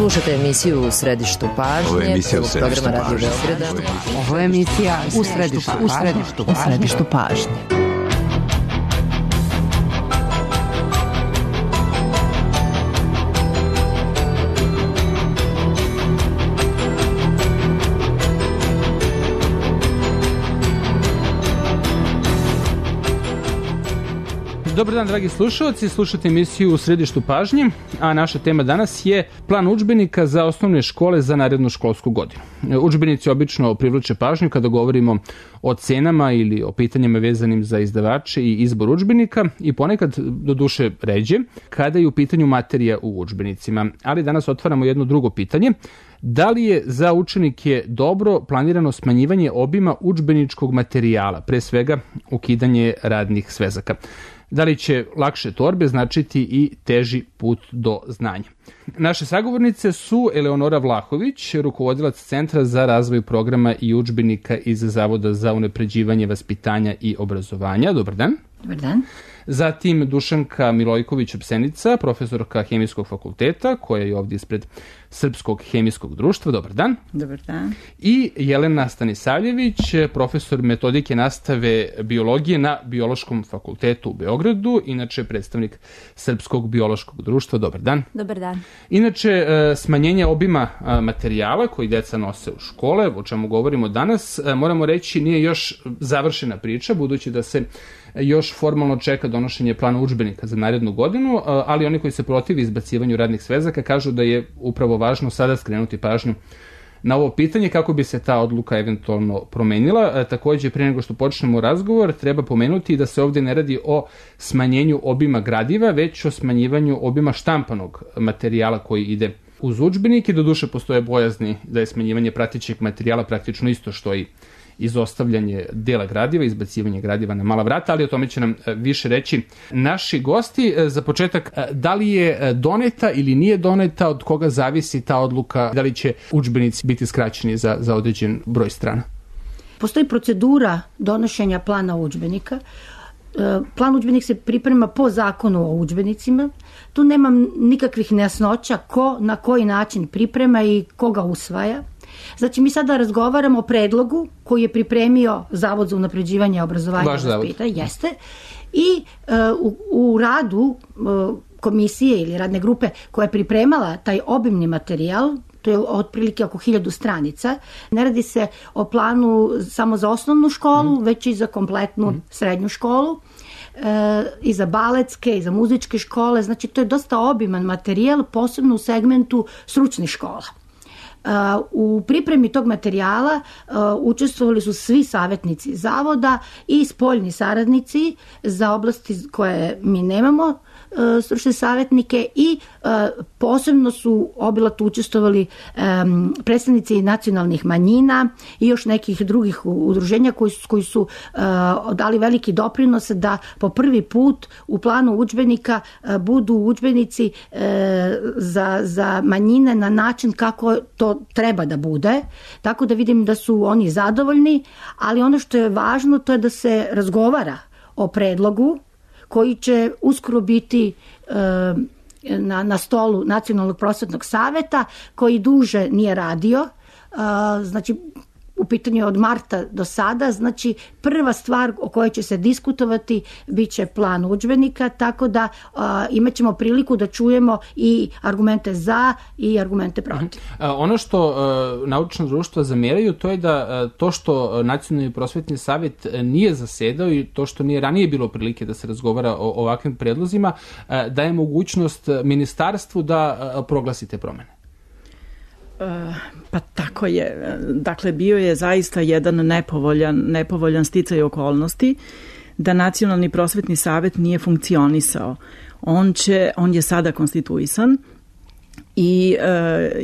Slušajte emisiju U središtu pažnje. Ovo je emisija U središtu pažnje. Ovo je emisija U središtu pažnje. Dobar dan, dragi slušalci, slušate emisiju U središtu pažnje, a naša tema danas je plan udžbenika za osnovne škole za narednu školsku godinu. Udžbenici obično privlače pažnju kada govorimo o cenama ili o pitanjima vezanim za izdavače i izbor udžbenika i ponekad, do duše ređe, kada je u pitanju materija u udžbenicima. Ali danas otvaramo jedno drugo pitanje. Da li je za učenike dobro planirano smanjivanje obima udžbeničkog materijala, pre svega ukidanje radnih svezaka? Da li će lakše torbe značiti i teži put do znanja? Naše sagovornice su Eleonora Vlahović, rukovodilac Centra za razvoj programa i udžbenika iz Zavoda za unapređivanje vaspitanja i obrazovanja. Dobar dan. Dobar dan. Zatim Dušanka Milojković-Opsenica, profesorka Hemijskog fakulteta, koja je ovdje ispred Srpskog hemijskog društva. Dobar dan. Dobar dan. I Jelena Stanisavljević, profesor metodike nastave biologije na Biološkom fakultetu u Beogradu, inače predstavnik Srpskog biološkog društva. Dobar dan. Dobar dan. Inače, smanjenje obima materijala koji deca nose u škole, o čemu govorimo danas, moramo reći nije još završena priča, budući da se još formalno čeka donošenje plana udžbenika za narednu godinu, ali oni koji se protivi izbacivanju radnih svezaka kažu da je upravo važno sada skrenuti pažnju na ovo pitanje kako bi se ta odluka eventualno promenila. Takođe, prije nego što počnemo razgovor, treba pomenuti da se ovdje ne radi o smanjenju obima gradiva, već o smanjivanju obima štampanog materijala koji ide uz udžbenike. Doduše, postoje bojazni da je smanjivanje pratećeg materijala praktično isto što i izostavljanje dela gradiva, izbacivanje gradiva na mala vrata, ali o tome će nam više reći naši gosti. Za početak, da li je doneta ili nije doneta, od koga zavisi ta odluka, da li će udžbenici biti skraćeni za određen broj strana? Postoji procedura donošenja plana udžbenika. Plan udžbenik se priprema po zakonu o udžbenicima. Tu nema nikakvih nejasnoća ko na koji način priprema i koga usvaja. Znači, mi sada razgovaramo o predlogu koji je pripremio Zavod za unapređivanje obrazovanja i vaspitanja. Jeste. I u radu komisije ili radne grupe koja je pripremala taj obimni materijal, to je otprilike oko 1000 stranica, ne radi se o planu samo za osnovnu školu, već i za kompletnu srednju školu, i za baletske, i za muzičke škole. Znači, to je dosta obiman materijal, posebno u segmentu stručnih škola. U pripremi tog materijala učestvovali su svi savjetnici zavoda i spoljni saradnici za oblasti koje mi nemamo stručne savjetnike i posebno su obilato učestvovali predstavnici nacionalnih manjina i još nekih drugih udruženja koji su dali veliki doprinos da po prvi put u planu udžbenika budu udžbenici za manjine na način kako to treba da bude, tako da vidim da su oni zadovoljni, ali ono što je važno to je da se razgovara o predlogu koji će uskoro biti na stolu Nacionalnog prosvetnog saveta, koji duže nije radio. Znači, u pitanju od marta do sada, znači prva stvar o kojoj će se diskutovati bit će plan udžbenika, tako da imat ćemo priliku da čujemo i argumente za i argumente protiv. Ono što naučna društva zameraju, to je da to što Nacionalni prosvetni savjet nije zasedao i to što nije ranije bilo prilike da se razgovara o ovakvim predlozima, daje mogućnost ministarstvu da proglasi te promene. Pa tako je. Dakle, bio je zaista jedan nepovoljan sticaj okolnosti da Nacionalni prosvetni savjet nije funkcionisao. On je sada konstituisan i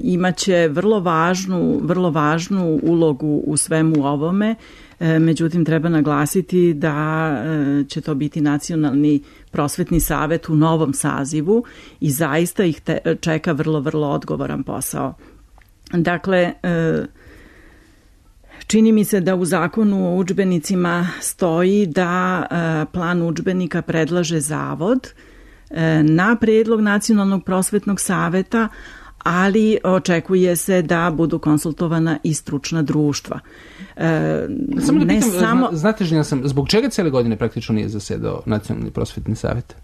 imaće vrlo važnu ulogu u svemu ovome. Međutim, treba naglasiti da će to biti Nacionalni prosvetni savjet u novom sazivu i zaista ih čeka vrlo odgovoran posao. Dakle, čini mi se da u zakonu o udžbenicima stoji da plan udžbenika predlaže zavod na predlog Nacionalnog prosvetnog saveta, ali očekuje se da budu konsultovana i stručna društva. Samo da pitam, znate Željana sam, zbog čega cijele godine praktično nije zasedao Nacionalni prosvetni savjet?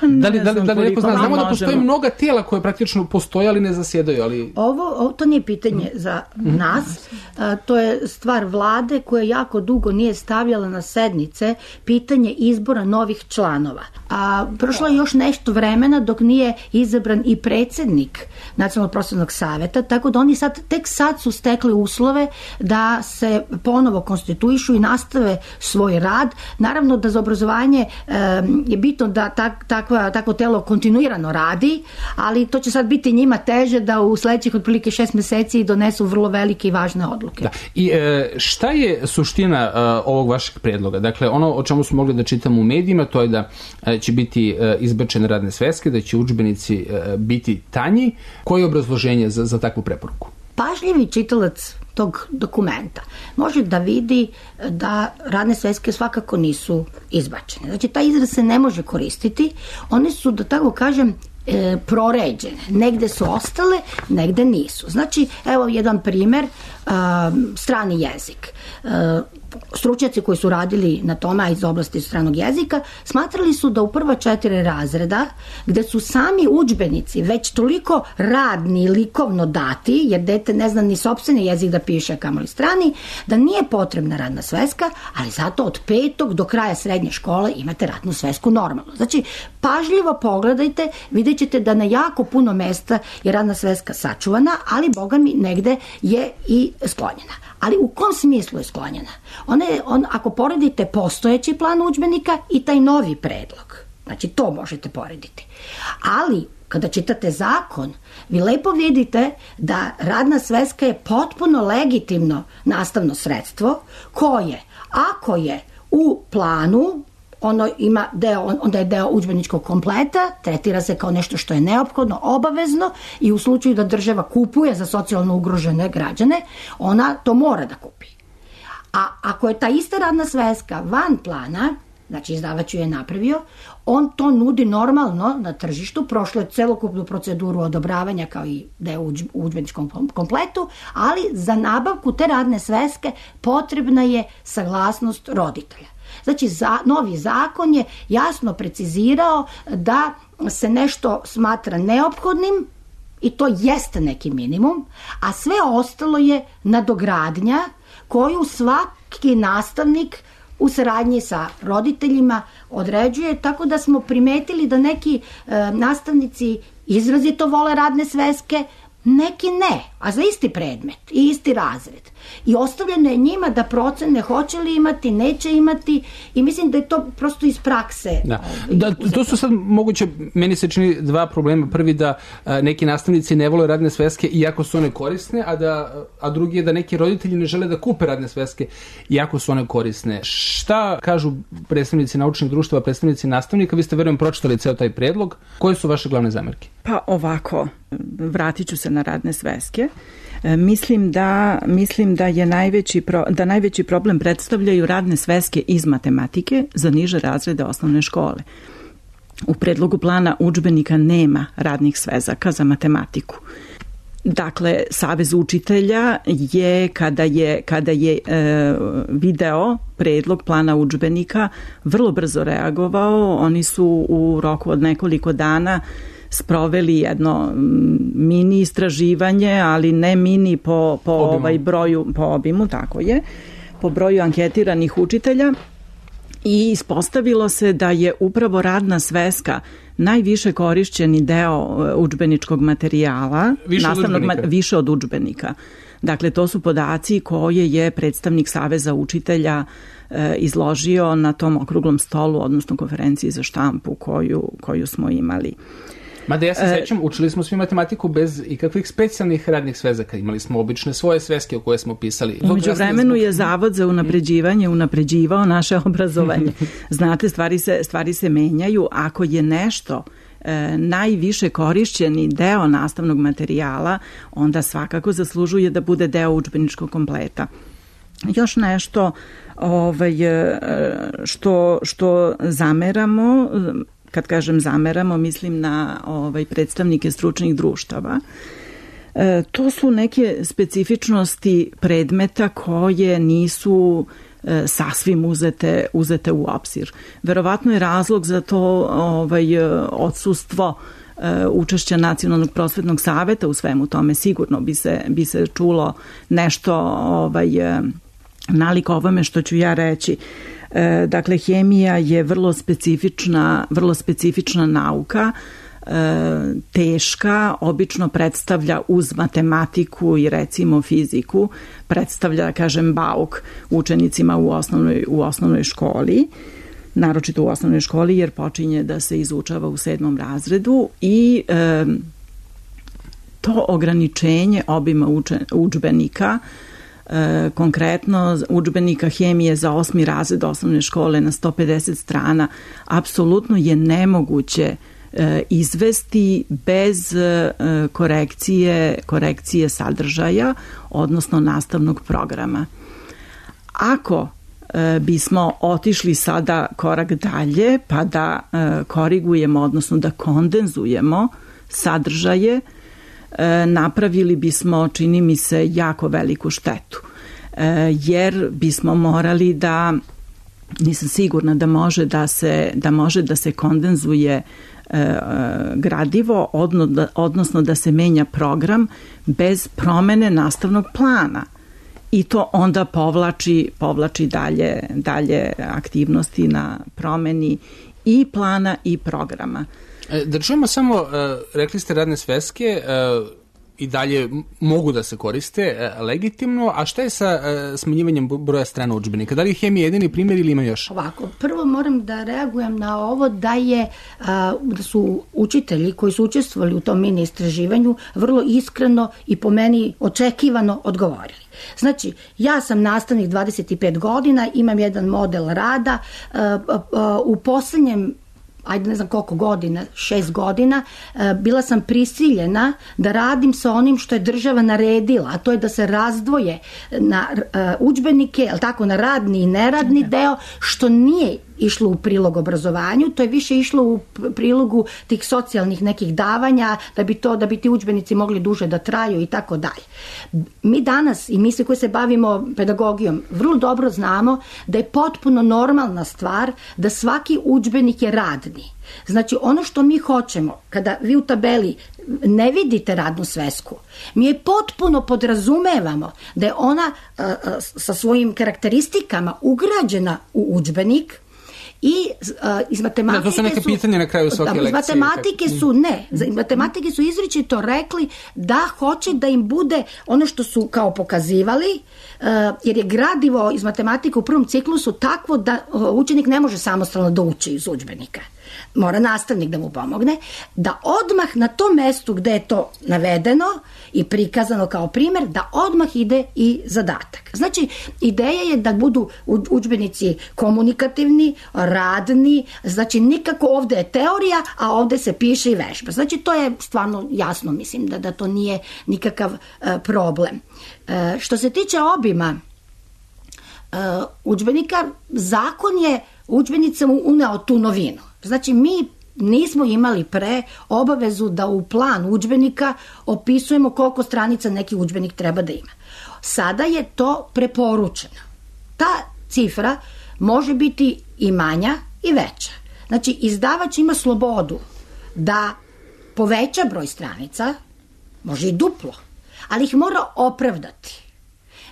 Da li neko zna? Znamo da postoje mnoga tijela koje praktično postoje, ali ne zasjedaju. Ali... Ovo to nije pitanje za nas. To je stvar vlade koja jako dugo nije stavljala na sednice pitanje izbora novih članova. A prošlo je još nešto vremena dok nije izabran i predsjednik Nacionalnog prosvetnog savjeta, tako da oni tek sad su stekli uslove da se ponovo konstituišu i nastave svoj rad. Naravno da za obrazovanje je bitno da takvo telo kontinuirano radi, ali to će sad biti njima teže da u sljedećih otprilike 6 mjeseci donesu vrlo velike i važne odluke. Da. I šta je suština ovog vašeg predloga? Dakle, ono o čemu smo mogli da čitamo u medijima, to je da će biti izbačene radne sveske, da će udžbenici biti tanji. Koje je obrazloženje za takvu preporuku? Pažljivi čitalac tog dokumenta može da vidi da radne sveske svakako nisu izbačene. Znači, taj izraz se ne može koristiti. One su, da tako kažem, proređene. Negde su ostale, negde nisu. Znači, evo jedan primjer, strani jezik. Stručnjaci koji su radili na tome iz oblasti stranog jezika smatrali su da u prva 4 razreda, gde su sami udžbenici već toliko radni i likovno dati, jer dete ne zna ni sopstveni jezik da piše, kamoli strani, da nije potrebna radna sveska, ali zato od 5. do kraja srednje škole imate radnu svesku normalno. Znači, pažljivo pogledajte, vidjet ćete da na jako puno mesta je radna sveska sačuvana, ali boga mi negde je i sklonjena. Ali u kom smislu je sklonjena? Ako poredite postojeći plan udžbenika i taj novi predlog, znači to možete porediti. Ali kada čitate zakon, vi lepo vidite da radna sveska je potpuno legitimno nastavno sredstvo koje, ako je u planu, onda je deo udžbeničkog kompleta, tretira se kao nešto što je neophodno, obavezno, i u slučaju da država kupuje za socijalno ugrožene građane, ona to mora da kupi. A ako je ta ista radna sveska van plana, znači izdavač ju je napravio, on to nudi normalno na tržištu, prošlo je celokupnu proceduru odobravanja kao i deo u udžbeničkom kompletu, ali za nabavku te radne sveske potrebna je saglasnost roditelja. Znači, novi zakon je jasno precizirao da se nešto smatra neophodnim i to jeste neki minimum, a sve ostalo je nadogradnja koju svaki nastavnik u saradnji sa roditeljima određuje, tako da smo primetili da neki nastavnici izrazito vole radne sveske, neki ne, a za isti predmet i isti razred. I ostavljeno je njima da procene hoće li imati, neće imati, i mislim da je to prosto iz prakse. Da, to su sad moguće, meni se čini 2 problema. Prvi, da neki nastavnici ne vole radne sveske iako su one korisne, a drugi je da neki roditelji ne žele da kupe radne sveske iako su one korisne. Šta kažu predstavnici naučnih društava, predstavnici nastavnika? Vi ste, verujem, pročitali ceo taj predlog. Koje su vaše glavne zamerke? Pa ovako, vratit ću se na radne sveske. Mislim da je najveći problem predstavljaju radne sveske iz matematike za niže razrede osnovne škole. U predlogu plana udžbenika nema radnih svezaka za matematiku. Dakle, Savez učitelja je, kada je video predlog plana udžbenika, vrlo brzo reagovao. Oni su u roku od nekoliko dana sproveli jedno mini istraživanje, ali ne mini po broju, po obimu, tako je, po broju anketiranih učitelja, i ispostavilo se da je upravo radna sveska najviše korišćeni deo udžbeničkog materijala, više od udžbenika. Dakle, to su podaci koje je predstavnik Saveza učitelja izložio na tom okruglom stolu, odnosno konferenciji za štampu koju smo imali. Mada ja se sećam, učili smo svi matematiku bez ikakvih specijalnih radnih svezaka. Imali smo obične svoje sveske o koje smo pisali. Umeđu vremenu je Zavod za unapređivao naše obrazovanje. Znate, stvari se menjaju. Ako je nešto najviše korišćeni deo nastavnog materijala, onda svakako zaslužuje da bude deo udžbeničkog kompleta. Još nešto što zameramo, kad kažem zameramo, mislim na predstavnike stručnih društava. To su neke specifičnosti predmeta koje nisu sasvim uzete u obzir. Verovatno je razlog za to odsustvo učešća Nacionalnog prosvetnog saveta u svemu tome. Sigurno bi se čulo nešto nalik ovome što ću ja reći. Dakle, hemija je vrlo specifična nauka, teška, obično predstavlja uz matematiku i recimo fiziku, predstavlja, kažem, bauk učenicima u osnovnoj školi, naročito u osnovnoj školi jer počinje da se izučava u 7. razredu i to ograničenje obima udžbenika, konkretno udžbenika hemije za 8. razred osnovne škole na 150 strana, apsolutno je nemoguće izvesti bez korekcije sadržaja, odnosno nastavnog programa. Ako bismo otišli sada korak dalje pa da korigujemo, odnosno da kondenzujemo sadržaje, napravili bismo, čini mi se, jako veliku štetu. Jer bismo morali da, nisam sigurna da može da se kondenzuje gradivo, odnosno da se menja program bez promene nastavnog plana. I to onda povlači dalje aktivnosti na promeni i plana i programa. Da čujemo samo, rekli ste radne sveske i dalje mogu da se koriste legitimno, a šta je sa smanjivanjem broja strana udžbenika? Da li je hemija jedini primjer ili ima još? Ovako, prvo moram da reagujem na ovo da su učitelji koji su učestvovali u tom mini istraživanju vrlo iskreno i po meni očekivano odgovorili. Znači, ja sam nastavnik 25 godina, imam jedan model rada, u poslednjem ne znam koliko godina, 6 godina, bila sam prisiljena da radim sa onim što je država naredila, a to je da se razdvoje na udžbenike, na radni i neradni deo, što nije išlo u prilog obrazovanju, to je više išlo u prilogu tih socijalnih nekih davanja, da bi ti udžbenici mogli duže da traju i tako dalje. Mi danas, i mi svi koji se bavimo pedagogijom, vrlo dobro znamo da je potpuno normalna stvar da svaki udžbenik je radni. Znači, ono što mi hoćemo, kada vi u tabeli ne vidite radnu svesku, mi je potpuno podrazumevamo da je ona sa svojim karakteristikama ugrađena u udžbenik. I iz matematike to su neke pitanja na kraju svake lekcije. Iz matematike su izričito rekli da hoće da im bude ono što su kao pokazivali, jer je gradivo iz matematike u prvom ciklusu takvo da učenik ne može samostalno da uči iz udžbenika. Mora nastavnik da mu pomogne, da odmah na tom mestu gde je to navedeno i prikazano kao primjer, da odmah ide i zadatak. Znači, ideja je da budu udžbenici komunikativni, radni, znači nikako ovde je teorija, a ovde se piše i vežba. Znači, to je stvarno jasno, mislim, da to nije nikakav problem. Što se tiče obima udžbenika, zakon je udžbenicama uneo tu novinu. Znači, mi nismo imali pre obavezu da u plan udžbenika opisujemo koliko stranica neki udžbenik treba da ima. Sada je to preporučeno. Ta cifra može biti i manja i veća. Znači, izdavač ima slobodu da poveća broj stranica, može i duplo, ali ih mora opravdati.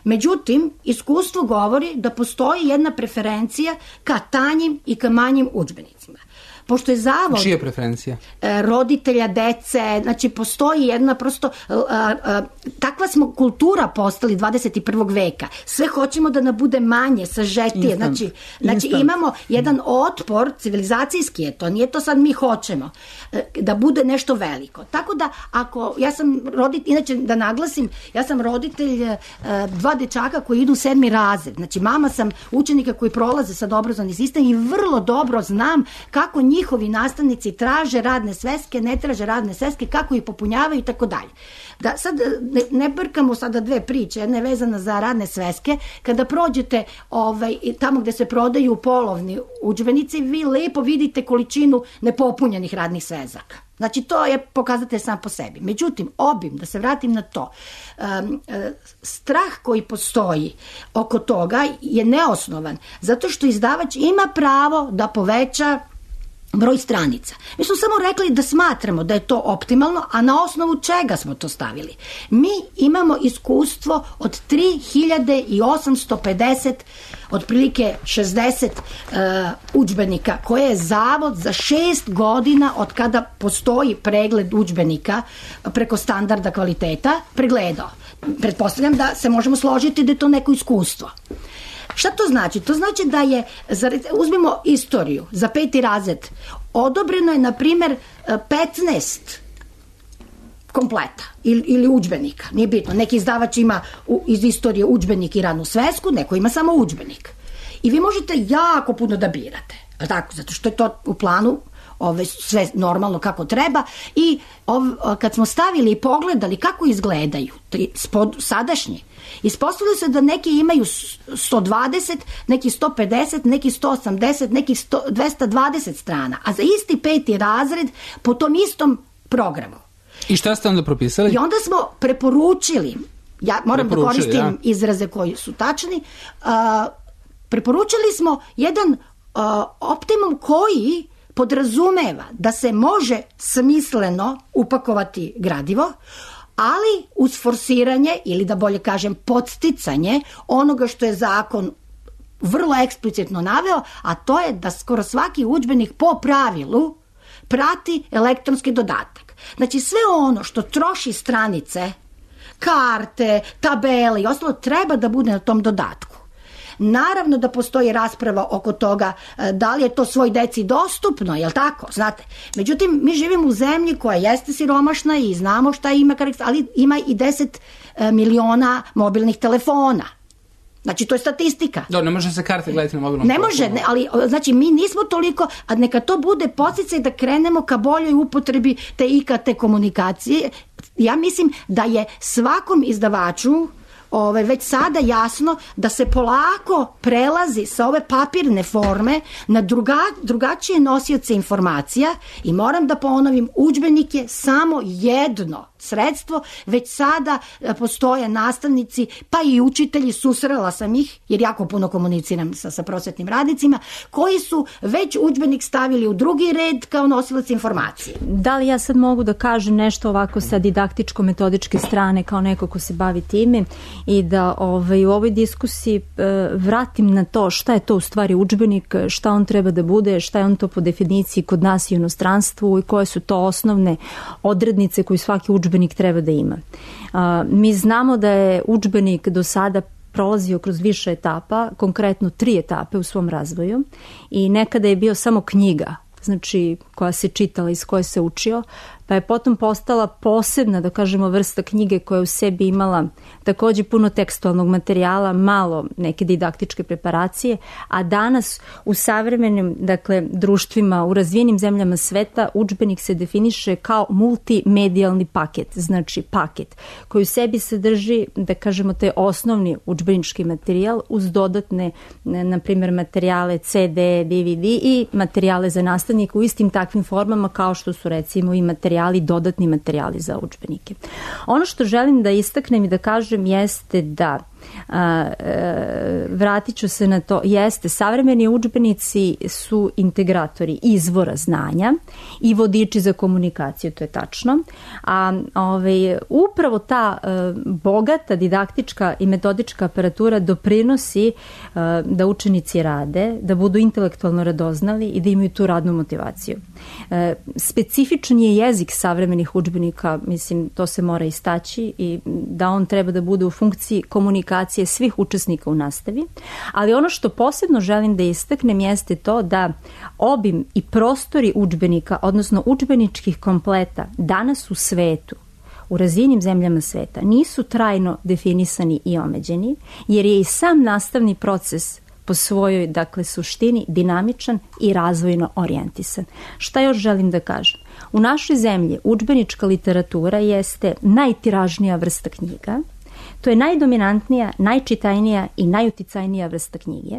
Međutim, iskustvo govori da postoji jedna preferencija ka tanjim i ka manjim udžbenicima. Pošto je zavod... Čija preferencija? Roditelja, dece, znači postoji jedna prosto... takva smo kultura postali 21. veka. Sve hoćemo da nam bude manje, sažetije. Znači imamo jedan otpor, civilizacijski je to, nije to sad mi hoćemo, da bude nešto veliko. Tako da, ako... Ja sam roditelj, inače da naglasim, ja sam roditelj 2 dečaka koji idu u 7. razred. Znači, mama sam učenika koji prolaze sad obrazovni sistem i vrlo dobro znam kako njih njihovi nastavnici traže radne sveske, ne traže radne sveske, kako ih popunjavaju i tako dalje. Da sad ne brkamo sada dve priče, jedna je vezana za radne sveske. Kada prođete tamo gde se prodaju polovni udžbenici, vi lepo vidite količinu nepopunjenih radnih svezaka. Znači, to je pokazatelj sam po sebi. Međutim, obim, da se vratim na to, strah koji postoji oko toga je neosnovan, zato što izdavač ima pravo da poveća broj stranica. Mi smo samo rekli da smatramo da je to optimalno, a na osnovu čega smo to stavili? Mi imamo iskustvo od 3850, otprilike 60 udžbenika, koje je Zavod za 6 godina od kada postoji pregled udžbenika preko standarda kvaliteta pregledao. Pretpostavljam da se možemo složiti da je to neko iskustvo. Šta to znači? To znači da je, uzmimo istoriju, za 5. razred odobreno je, na primjer, 15 kompleta ili udžbenika, nije bitno. Neki izdavač ima iz istorije udžbenik i radnu svesku, neko ima samo udžbenik. I vi možete jako puno da birate, tako, zato što je to u planu sve normalno kako treba. I kad smo stavili i pogledali kako izgledaju sadašnji, ispostavilo se da neki imaju 120, neki 150, neki 180, neki 220 strana, a za isti 5. razred po tom istom programu. I šta ste onda propisali? I onda smo preporučili, ja moram da koristim izraze koji su tačni, preporučili smo jedan optimum koji podrazumeva da se može smisleno upakovati gradivo, ali uz forsiranje, ili da bolje kažem podsticanje onoga što je zakon vrlo eksplicitno naveo, a to je da skoro svaki udžbenik po pravilu prati elektronski dodatak. Znači, sve ono što troši stranice, karte, tabele i ostalo treba da bude na tom dodatku. Naravno da postoji rasprava oko toga da li je to svoj deci dostupno, jel tako, znate. Međutim, mi živimo u zemlji koja jeste siromašna i znamo šta ima, ali ima i 10 miliona mobilnih telefona. Znači, to je statistika. Ne može se karte gledati na mobilnom telefonu. Ne može, ali znači mi nismo toliko, a neka to bude podsticaj da krenemo ka boljoj upotrebi te IKT komunikacije. Ja mislim da je svakom izdavaču već sada jasno da se polako prelazi sa ove papirne forme na drugačije nosioce informacija i moram da ponovim, udžbenik je samo jedno sredstvo, već sada postoje nastavnici, pa i učitelji, susrela sam ih, jer jako puno komuniciram sa prosvetnim radnicima, koji su već udžbenik stavili u drugi red kao nosilac informacije. Da li ja sad mogu da kažem nešto ovako sa didaktičko-metodičke strane kao neko ko se bavi time i da u ovoj diskusiji vratim na to šta je to u stvari udžbenik, šta on treba da bude, šta je on to po definiciji kod nas i u inostranstvu i koje su to osnovne odrednice koje svaki udžbenik treba da ima. Mi znamo da je udžbenik do sada prolazio kroz više etapa, konkretno 3 etape u svom razvoju i nekada je bio samo knjiga, znači koja se čitala, iz koje se učio, pa je potom postala posebna, da kažemo, vrsta knjige koja u sebi imala takođe puno tekstualnog materijala, malo neke didaktičke preparacije, a danas u savremenim, društvima, u razvijenim zemljama sveta, udžbenik se definiše kao multimedijalni paket, znači paket koji u sebi sadrži, da kažemo, taj osnovni udžbenički materijal uz dodatne, na primjer, materijale CD, DVD i materijale za nastavnika u istim takvim formama kao što su recimo i dodatni materijali za udžbenike. Ono što želim da istaknem i da kažem jeste da vratit ću se na to, jeste, savremeni udžbenici su integratori izvora znanja i vodiči za komunikaciju, to je tačno, a upravo ta bogata didaktička i metodička aparatura doprinosi da učenici rade, da budu intelektualno radoznali i da imaju tu radnu motivaciju. Specifičan je jezik savremenih udžbenika, mislim, to se mora istaći i da on treba da bude u funkciji komunikacije svih učesnika u nastavi, ali ono što posebno želim da istaknem jeste to da obim i prostori udžbenika, odnosno udžbeničkih kompleta danas u svetu, u razvijenim zemljama sveta, nisu trajno definisani i omeđeni, jer je i sam nastavni proces po svojoj, dakle, suštini dinamičan i razvojno orijentisan. Šta još želim da kažem? U našoj zemlji udžbenička literatura jeste najtiražnija vrsta knjiga. To je najdominantnija, najčitajnija i najuticajnija vrsta knjige.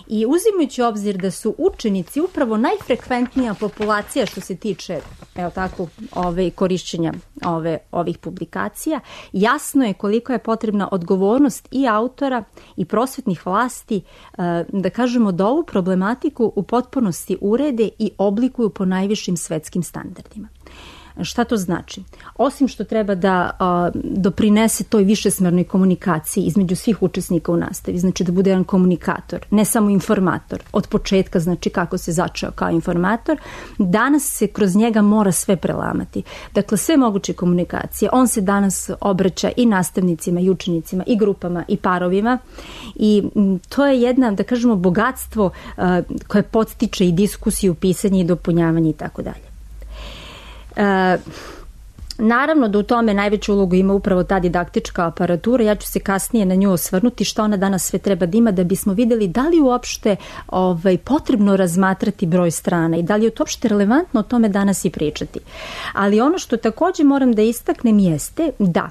I uzimajući obzir da su učenici upravo najfrekventnija populacija što se tiče korišćenja ovih publikacija, jasno je koliko je potrebna odgovornost i autora i prosvetnih vlasti da kažemo da ovu problematiku u potpunosti urede i oblikuju po najvišim svetskim standardima. Šta to znači? Osim što treba da doprinese toj višesmernoj komunikaciji između svih učesnika u nastavi, znači da bude jedan komunikator, ne samo informator, od početka, znači kako se začeo kao informator, danas se kroz njega mora sve prelamati. Dakle, sve moguće komunikacije. On se danas obraća i nastavnicima, i učenicima, i grupama, i parovima i to je jedna, da kažemo, bogatstvo koje podstiče i diskusiju, pisanje i dopunjavanje i tako dalje. Naravno da u tome najveću ulogu ima upravo ta didaktička aparatura, ja ću se kasnije na nju osvrnuti što ona danas sve treba da ima da bismo vidjeli da li uopšte potrebno razmatrati broj strana i da li je uopšte relevantno o tome danas i pričati. Ali ono što također moram da istaknem jeste da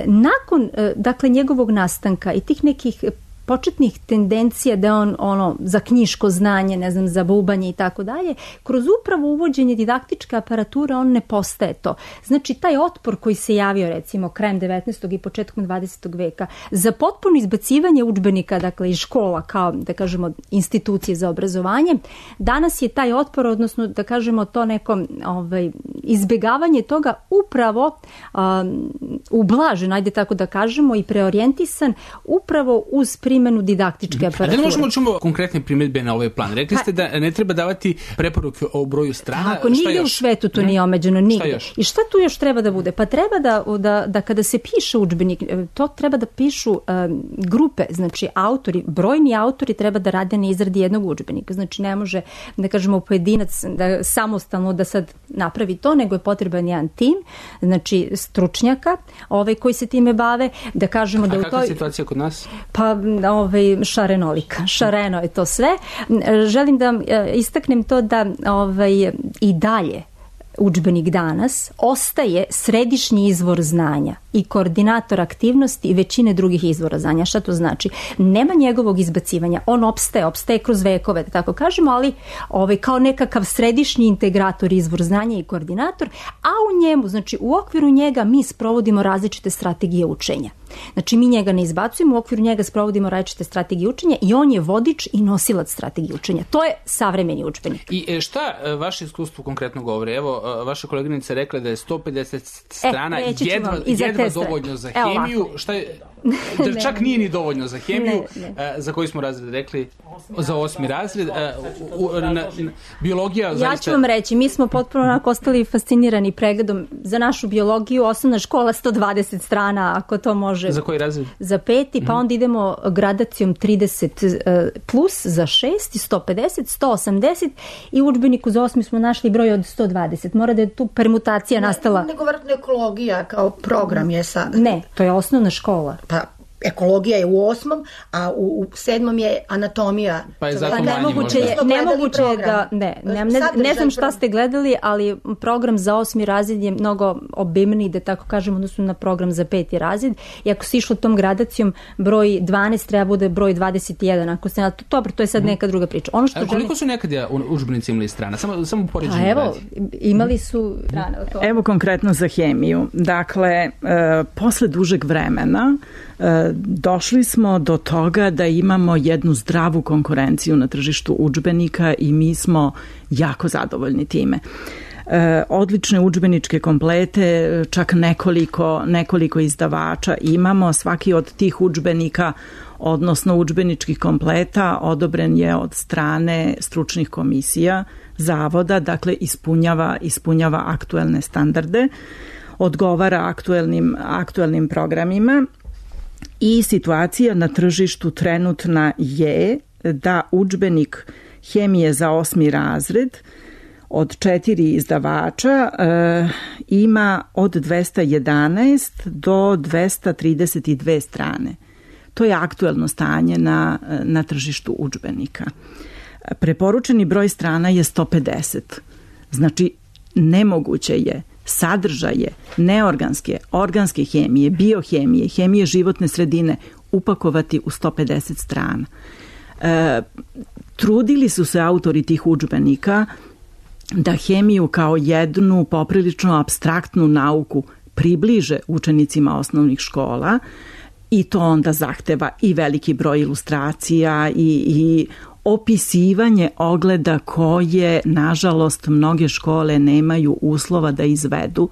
nakon dakle njegovog nastanka i tih nekih početnih tendencija da on za knjiško znanje, ne znam, za bubanje i tako dalje, kroz upravo uvođenje didaktičke aparature on ne postaje to. Znači, taj otpor koji se javio recimo krajem 19. i početkom 20. veka za potpuno izbacivanje udžbenika, dakle iz škola kao, da kažemo, institucije za obrazovanje, danas je taj otpor, odnosno da kažemo to neko izbjegavanje toga upravo ublažen, ajde tako da kažemo, i preorijentisan upravo uz primjenu didaktičke aparature. Da možemo čumo konkretne primjedbe na ovaj plan? Rekli ste da ne treba davati preporuke o broju strana. Tako, nigdje u svetu to nije omeđeno, nigdje. I šta tu još treba da bude? Pa treba da kada se piše udžbenik, to treba da pišu grupe, znači autori, brojni autori treba da rade na izradi jednog udžbenika. Znači ne može, da kažemo, pojedinac da samostalno da sad napravi to, nego je potreban jedan tim, znači stručnjaka, koji se time bave, da kažemo da u toj... A kakva je situacija kod nas? Pa šarenolika. Šareno je to sve. Želim da istaknem to da i dalje udžbenik danas ostaje središnji izvor znanja i koordinator aktivnosti i većine drugih izvora znanja. Šta to znači? Nema njegovog izbacivanja. On opstaje kroz vekove, da tako kažemo, ali kao nekakav središnji integrator, izvor znanja i koordinator, a u njemu, znači u okviru njega mi sprovodimo različite strategije učenja. Znači mi njega ne izbacujemo, u okviru njega sprovodimo različite strategije učenja i on je vodič i nosilac strategije učenja. To je savremeni udžbenik. I šta vaše iskustvo konkretno govori? Evo, vaša koleginica rekla da je 150 strana jedva dovoljno za hemiju. Šta je, da čak nije ni dovoljno za hemiju, za koji smo razred rekli? Za 8. razred. Biologija zaista... Ja ću vam reći, mi smo potpuno onako ostali fascinirani pregledom za našu biologiju, osnovna škola 120 strana, ako to može. Za koji razred? Za 5. Pa onda idemo gradacijom 30 plus za 6 i 150, 180 i u udžbeniku za 8. smo našli broj od 120. Mora da je tu permutacija nastala. Nego vratno ekologija kao program je sad. Ne, to je osnovna škola. Pa ekologija je u 8. a u 7. je anatomija. Pa je zato nemoguće je da... Ne znam šta ste gledali, ali program za 8. razred je mnogo obimniji, da tako kažem, odnosno na program za 5. razred. I ako se išlo tom gradacijom, broj 12 treba bude broj 21. Ako se, dobro, to je sad neka druga priča. Ono što koliko su nekada udžbenici imali strana? Samo poređenje. Evo, imali su... Evo konkretno za hemiju. Dakle, posle dužeg vremena došli smo do toga da imamo jednu zdravu konkurenciju na tržištu udžbenika i mi smo jako zadovoljni time. Odlične udžbeničke komplete, čak nekoliko izdavača imamo. Svaki od tih udžbenika, odnosno udžbeničkih kompleta, odobren je od strane stručnih komisija zavoda, dakle ispunjava aktuelne standarde, odgovara aktuelnim programima. I situacija na tržištu trenutna je da udžbenik hemije za 8. razred od 4 izdavača ima od 211 do 232 strane. To je aktuelno stanje na tržištu udžbenika. Preporučeni broj strana je 150. Znači, nemoguće je sadržaje neorganske, organske hemije, biohemije, hemije životne sredine upakovati u 150 strana. Trudili su se autori tih udžbenika da hemiju kao jednu poprilično apstraktnu nauku približe učenicima osnovnih škola i to onda zahteva i veliki broj ilustracija i opisivanje ogleda koje, nažalost, mnoge škole nemaju uslova da izvedu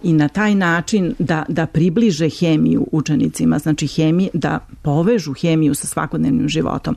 i na taj način da približe hemiju učenicima, znači da povežu hemiju sa svakodnevnim životom.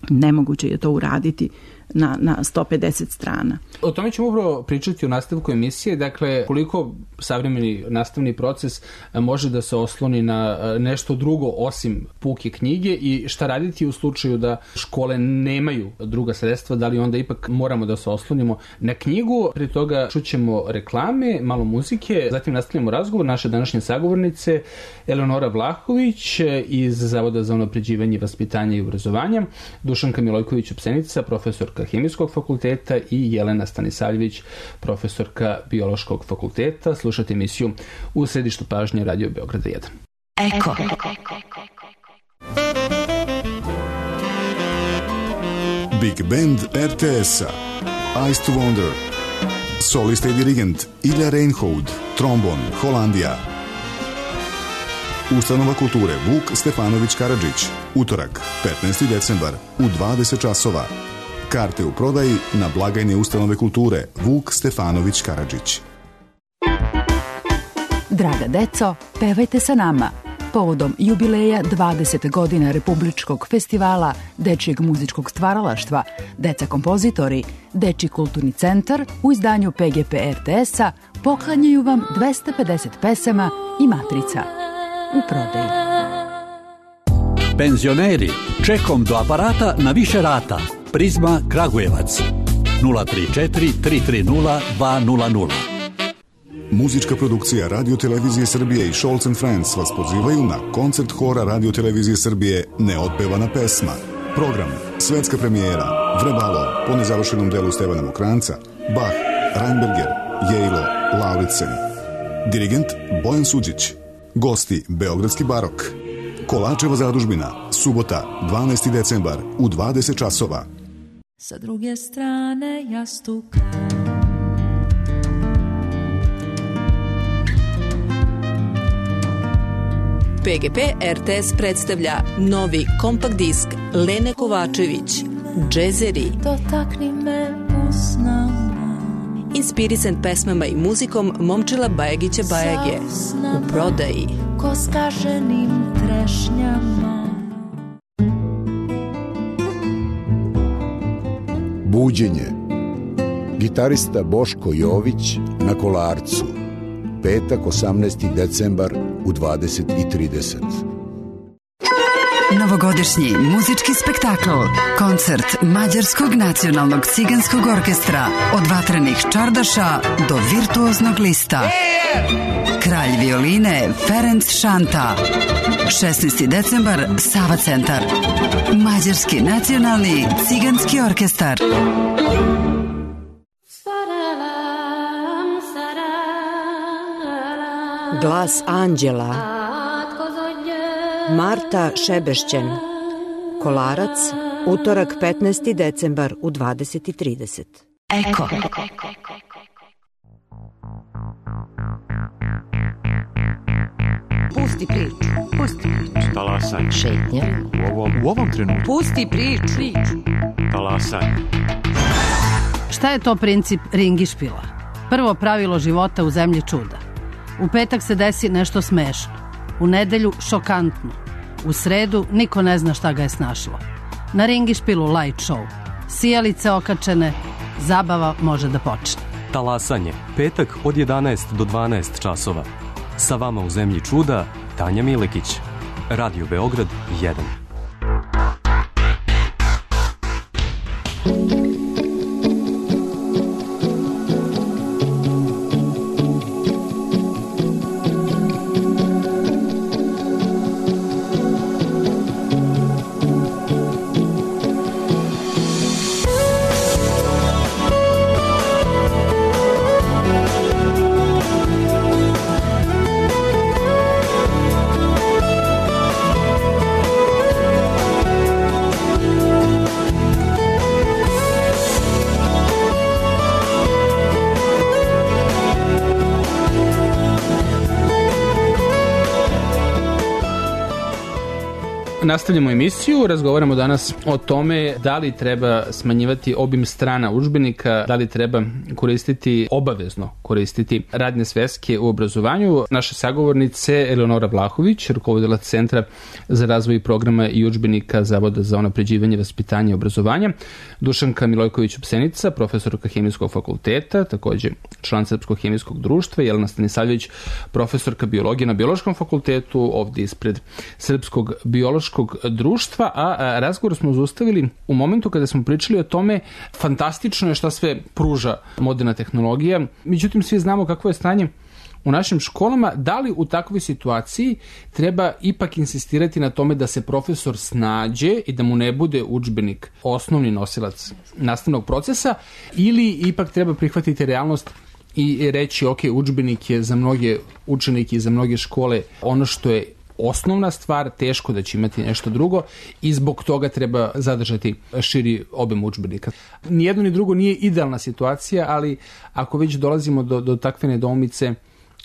Nemoguće je to uraditi na 150 strana. O tome ćemo upravo pričati u nastavku emisije, dakle koliko savremeni nastavni proces može da se osloni na nešto drugo osim puke knjige i šta raditi u slučaju da škole nemaju druga sredstva, da li onda ipak moramo da se oslonimo na knjigu. Prije toga čućemo reklame, malo muzike, zatim nastavljamo razgovor naše današnje sagovornice Eleonora Vlahović iz Zavoda za unapređivanje vaspitanja i obrazovanja, Dušanka Milojković-Opsenica, profesorka Hemijskog fakulteta i Jelena Stanisavljević, profesorka Biološkog fakulteta. Slušate emisiju U središtu pažnje Radio Beograda 1. Eko. Big Band RTS-a Ice to Wonder, solista i dirigent Ilja Reinhold, trombon Holandija. Ustanova kulture Vuk Stefanović Karadžić, utorak 15. decembar u 20 časova. Karte u prodaji na blagajni Ustanove kulture Vuk Stefanović Karadžić. Draga deco, pevajte sa nama. Povodom jubileja 20 godina Republičkog festivala dečijeg muzičkog stvaralaštva, Deca kompozitori, Dečiji kulturni centar u izdanju PGP RTS-a poklanjaju vam 250 pesama i matrica u prodaji. Penzioneri, čekom do aparata na više rata. Prizma Kragujevac 034 330 200. Muzička produkcija Radio-televizije Srbije i Scholz & Friends vas pozivaju na koncert hora Radio-televizije Srbije Neotpevana pesma. Program, svetska premijera, Vrebalo, po nezavršenom delu Stevana Mokranca, Bach, Reinberger, Jejlo, Lauritsen. Dirigent Bojan Suđić. Gosti Beogradski barok. Kolačeva zadužbina, subota, 12. decembar u 20 časova. Sa druge strane jastuka PGP RTS predstavlja novi kompakt disk Lene Kovačević, Džezeri. Dotakni me usnama. Inspirisan pesmama i muzikom Momčila Bajagića Bajage. U prodaji. Ko skaženim trešnjama. Buđenje. Gitarista Boško Jović na Kolarcu. Petak 18. decembar u 20:30. Novogodišnji muzički spektakl, koncert Mađarskog nacionalnog ciganskog orkestra, od vatrenih čardaša do virtuoznog lista. Kralj violine Ferenc Šanta. 16. decembar, Sava centar. Mađarski nacionalni ciganski orkestar. Glas anđela. Marta Šebešćen. Kolarac, utorak 15. decembar u 20:30. Eko. Pusti priču. Pusti priču. Talasanje. Šetnja. U ovom trenutku. Pusti priču. Talasanje. Šta je to princip ringišpila? Prvo pravilo života u zemlji čuda. U petak se desi nešto smešno. U nedelju šokantno. U sredu niko ne zna šta ga je snašlo. Na ringišpilu light show. Sijalice okačene, zabava može da počne. Talasanje. Petak od 11 do 12 časova. Sa vama u zemlji čuda, Tanja Milekić. Radio Beograd 1. Nastavljamo emisiju, razgovaramo danas o tome da li treba smanjivati obim strana udžbenika, da li treba obavezno koristiti radne sveske u obrazovanju. Naše sagovornice Eleonora Vlahović, rukovodila Centra za razvoj programa i udžbenika Zavoda za unapređivanje vaspitanja i obrazovanja, Dušanka Milojković-Opsenica, profesorka Hemijskog fakulteta, takođe član Srpskog hemijskog društva, Jelena Stanisavljević, profesorka biologije na Biološkom fakultetu, ovdje ispred Srpskog biološkog društva, a razgovor smo zaustavili u momentu kada smo pričali o tome fantastično je šta sve pruža moderna tehnologija, međutim svi znamo kakvo je stanje u našim školama. Da li u takvoj situaciji treba ipak insistirati na tome da se profesor snađe i da mu ne bude udžbenik osnovni nosilac nastavnog procesa, ili ipak treba prihvatiti realnost i reći ok, udžbenik je za mnoge učenike i za mnoge škole ono što je osnovna stvar, teško da će imati nešto drugo i zbog toga treba zadržati širi obim udžbenika. Nijedno ni drugo nije idealna situacija, ali ako već dolazimo do takve nedoumice,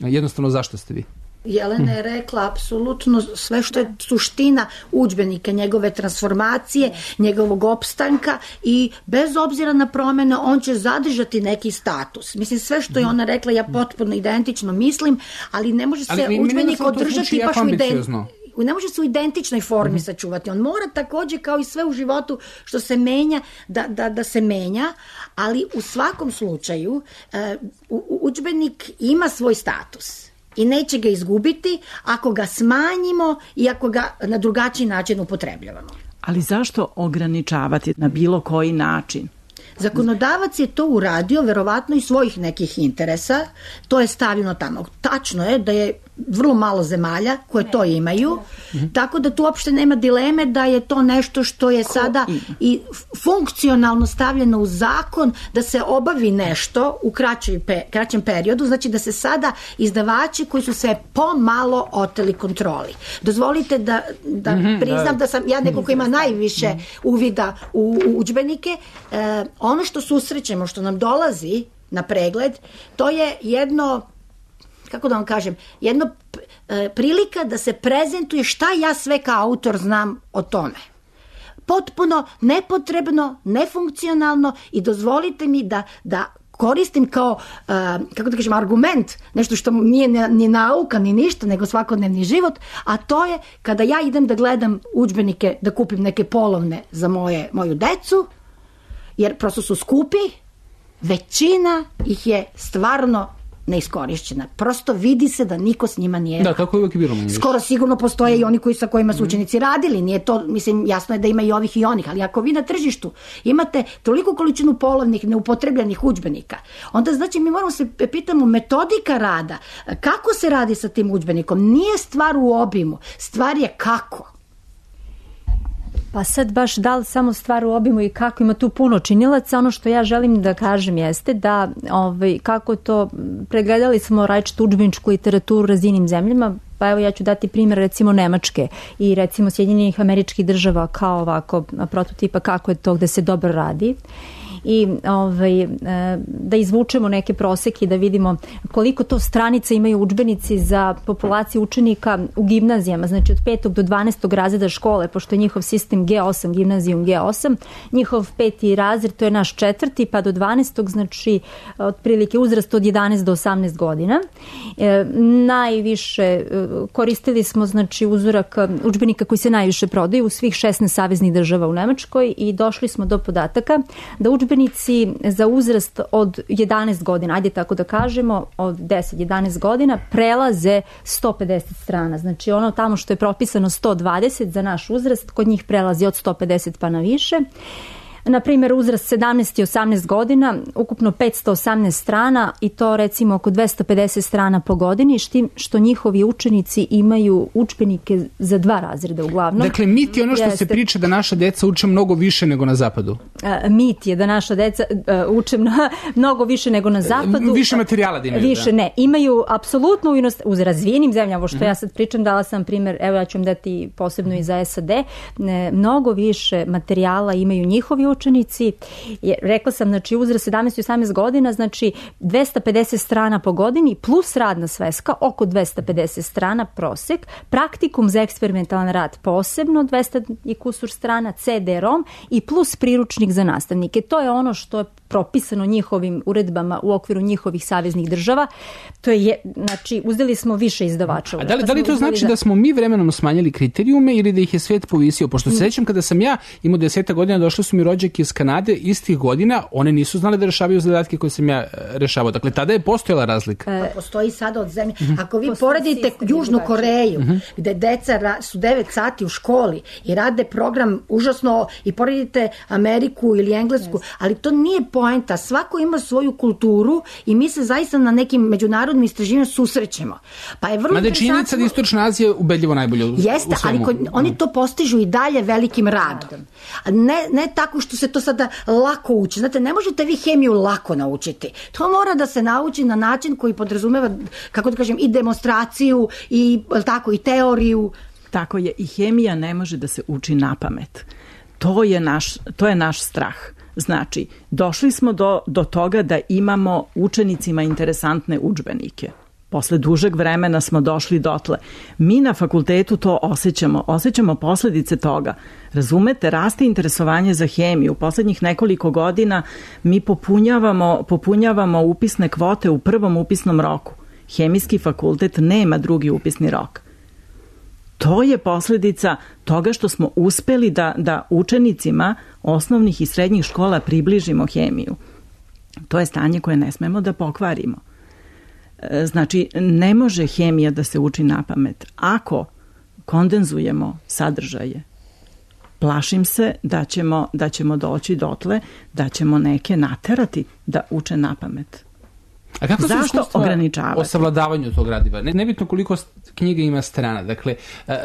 jednostavno zašto ste vi? Jelena je rekla apsolutno sve što je suština udžbenika, njegove transformacije, njegovog opstanka i bez obzira na promene on će zadržati neki status. Mislim, sve što je ona rekla ja potpuno identično mislim, ali ne može se udžbenik održati baš ne može se u identičnoj formi sačuvati. On mora takođe kao i sve u životu što se menja da se menja, ali u svakom slučaju udžbenik ima svoj status i neće ga izgubiti ako ga smanjimo i ako ga na drugačiji način upotrebljavamo. Ali zašto ograničavati na bilo koji način? Zakonodavac je to uradio verovatno iz svojih nekih interesa, to je stavljeno tamo. Tačno je da je vrlo malo zemalja koje to imaju, tako da tu uopšte nema dileme da je to nešto što je sada i funkcionalno stavljeno u zakon da se obavi nešto u kraćem periodu, znači da se sada izdavači koji su se pomalo oteli kontroli. Dozvolite da priznam da sam ja neko ko ima najviše uvida u udžbenike. Ono što susrećemo, što nam dolazi na pregled, to je jedno, kako da vam kažem, jedno prilika da se prezentuje šta ja sve kao autor znam o tome. Potpuno nepotrebno, nefunkcionalno i dozvolite mi da koristim kao, kako da kažem, argument, nešto što nije ni nauka, ni ništa, nego svakodnevni život, a to je kada ja idem da gledam udžbenike, da kupim neke polovne za moju decu, jer prosto su skupi, većina ih je stvarno neiskorišćena. Prosto vidi se da niko s njima nije... Da, tako je uvijek bilo. Skoro sigurno postoje i oni sa kojima su učenici radili. Nije to, mislim, jasno je da ima i ovih i onih, ali ako vi na tržištu imate toliko količinu polovnih neupotrebljenih udžbenika, onda znači mi moramo se pitamo metodika rada. Kako se radi sa tim udžbenikom? Nije stvar u obimu, stvar je kako. Pa sad baš da li samo stvar u obimu i kako, ima tu puno činilaca. Ono što ja želim da kažem jeste da kako to, pregledali smo različitu udžbeničku literaturu u razvijenim zemljama, pa evo ja ću dati primjer recimo Nemačke i recimo Sjedinjenih Američkih Država kao ovako prototipa kako je to gde se dobro radi. I da izvučemo neke proseke i da vidimo koliko to stranica imaju udžbenici za populaciju učenika u gimnazijama, znači od 5. do 12. razreda škole, pošto je njihov sistem G8, gimnazijum G8, njihov 5. razred, to je naš 4. pa do 12. znači otprilike uzrast od 11 do 18 godina. Najviše koristili smo znači uzorak udžbenika koji se najviše prodaju u svih 16 saveznih država u Nemačkoj i došli smo do podataka da udžbenici za uzrast od 11 godina, ajde tako da kažemo, od 10-11 godina prelaze 150 strana. Znači ono tamo što je propisano 120 za naš uzrast, kod njih prelazi od 150 pa na više. Na primjer, uzrast 17 i 18 godina, ukupno 518 strana i to recimo oko 250 strana po godini, što njihovi učenici imaju udžbenike za 2 razreda uglavnom. Dakle, mit je ono što se priča da naša deca uče mnogo više nego na zapadu. Mit je da naša deca uče mnogo više nego na zapadu. Više materijala da imaju. Više, ne. Imaju apsolutno u razvijenim zemljama, što ja sad pričam, dala sam primjer, evo ja ću vam dati posebno i za SAD, mnogo više materijala imaju njihovi učenici. Rekla sam, znači uzrast 17-18 godina, znači 250 strana po godini plus radna sveska, oko 250 strana prosek, praktikum za eksperimentalan rad posebno 200 i kusur strana, CD-ROM i plus priručnik za nastavnike. To je ono što je propisano njihovim uredbama u okviru njihovih saveznih država. To je, znači, uzeli smo više izdavača. A da li to znači da smo mi vremenom smanjili kriterijume ili da ih je svet povisio? Pošto se sećam kada sam ja imao 10 godina, došli su mi rođake iz Kanade istih godina, one nisu znali da rešavaju zadatke koje sam ja rešavao. Dakle, tada je postojala razlika. Postoji sada od zemlje. Ako vi poredite Južnu Koreju, gde deca su 9 sati u školi i rade program užasno, i poredite Ameriku ili Englesku, ali to nije poenta. Svako ima svoju kulturu i mi se zaista na nekim međunarodnim istraživanjima susrećemo. Pa je vrlo interesantno. Činjenica da Istočna Azija ubedljivo najbolje u svemu. Jeste, ali oni to postižu i dalje velikim radom. Ne tako što se to sada lako uči. Znate, ne možete vi hemiju lako naučiti. To mora da se nauči na način koji podrazumeva, kako da kažem, i demonstraciju i teoriju. Tako je, i hemija ne može da se uči napamet. To je naš strah. Znači, došli smo do toga da imamo učenicima interesantne udžbenike. Posle dužeg vremena smo došli dotle. Mi na fakultetu to osjećamo posledice toga. Razumete, raste interesovanje za hemiju. U poslednjih nekoliko godina mi popunjavamo upisne kvote u prvom upisnom roku. Hemijski fakultet nema drugi upisni rok. To je posljedica toga što smo uspeli da učenicima osnovnih i srednjih škola približimo hemiju. To je stanje koje ne smemo da pokvarimo. Znači, ne može hemija da se uči napamet. Ako kondenzujemo sadržaje, plašim se da ćemo doći dotle, da ćemo neke naterati da uče napamet. A kako Zašto su iskustva ograničavati? O savladavanju tog gradiva? Nebitno koliko knjiga ima strana. Dakle,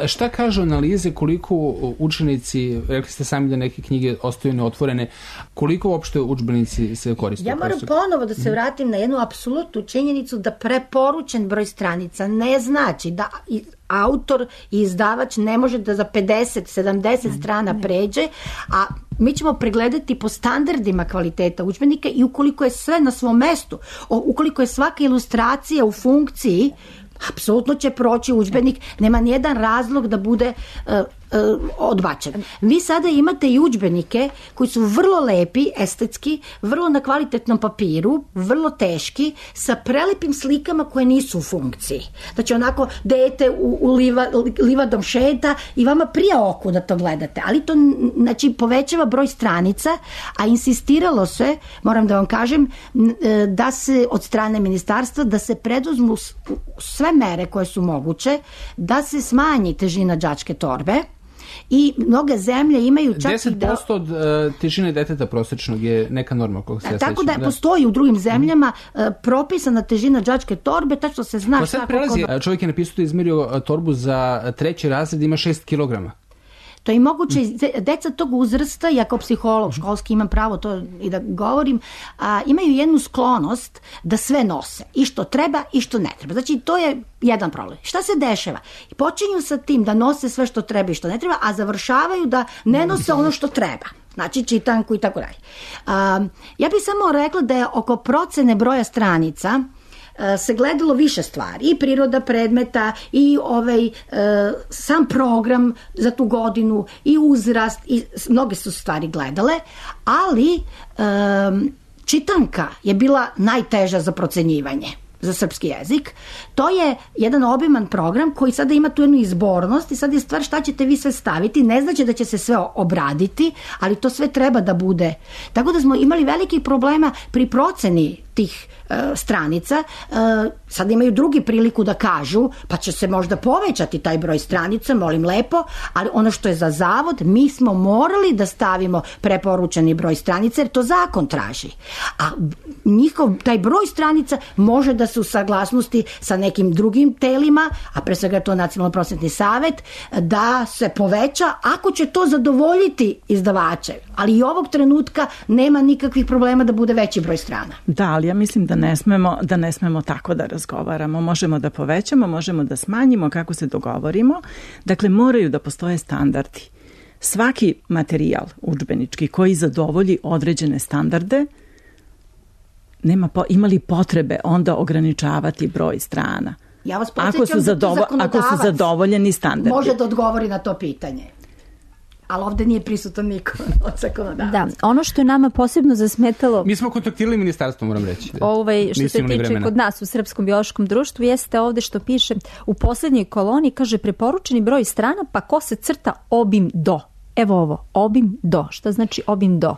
šta kažu analize, koliko učenici, rekli ste sami da neke knjige ostaju neotvorene, koliko uopšte udžbenici se koriste? Ja moram ponovo da se vratim na jednu apsolutnu činjenicu da preporučen broj stranica ne znači da autor i izdavač ne može da za 50-70 strana pređe, a mi ćemo pregledati po standardima kvaliteta udžbenika i ukoliko je sve na svom mestu, ukoliko je svaka ilustracija u funkciji, apsolutno će proći udžbenik, nema nijedan razlog da bude odbačen. Vi sada imate i udžbenike koji su vrlo lepi, estetski, vrlo na kvalitetnom papiru, vrlo teški, sa prelepim slikama koje nisu u funkciji. Znači onako dete u livadom šeta i vama prija oku da to gledate, ali to znači povećava broj stranica, a insistiralo se, moram da vam kažem, da se od strane ministarstva da se preduzmu sve mere koje su moguće, da se smanji težina đačke torbe. I mnoge zemlje imaju čak 10% od težine deteta prosječnog je neka norma koga se ja tako sećam. Da postoji u drugim zemljama propisana težina đačke torbe, tačno se zna šta prelazi. Čovjek je napisao da je izmerio torbu za 3. razred, ima 6 kilograma. To je i moguće, deca tog uzrasta, ja kao psiholog školski imam pravo to i da govorim, imaju jednu sklonost da sve nose, i što treba i što ne treba. Znači, to je jedan problem. Šta se dešava? Počinju sa tim da nose sve što treba i što ne treba, a završavaju da ne nose ono što treba. Znači, čitanku i tako dalje. Ja bih samo rekla da je oko procene broja stranica se gledalo više stvari, i priroda predmeta, i sam program za tu godinu, i uzrast, i mnoge su stvari gledale, ali čitanka je bila najteža za procenjivanje za srpski jezik. To je jedan obiman program koji sada ima tu jednu izbornost i sad je stvar šta ćete vi sve staviti. Ne znači da će se sve obraditi, ali to sve treba da bude. Tako da smo imali velikih problema pri proceni tih stranica. Sad imaju drugi priliku da kažu, pa će se možda povećati taj broj stranica, molim lepo, ali ono što je za zavod, mi smo morali da stavimo preporučeni broj stranica, jer to zakon traži. A taj broj stranica može da se u saglasnosti sa nekim drugim telima, a pre svega to Nacionalno prosvetni savet, da se poveća ako će to zadovoljiti izdavače. Ali i ovog trenutka nema nikakvih problema da bude veći broj strana. Da, ali ja mislim da ne smemo tako da razgovaramo. Možemo da povećamo, možemo da smanjimo kako se dogovorimo. Dakle, moraju da postoje standardi. svaki materijal udžbenički koji zadovolji određene standarde ima li potrebe onda ograničavati broj strana? Ja vas podsjećam da tu zakonodavac zadovoljeni standardi može da odgovori na to pitanje. Ali ovde nije prisutan niko od zakonodavaca. Da, ono što je nama posebno zasmetalo... Mi smo kontaktirali ministarstvo, moram reći. Što se tiče kod nas u Srpskom biološkom društvu, jeste ovde što piše u poslednjoj koloni, kaže preporučeni broj strana, pa ko se crta obim do. Evo ovo, obim do. Šta znači obim do?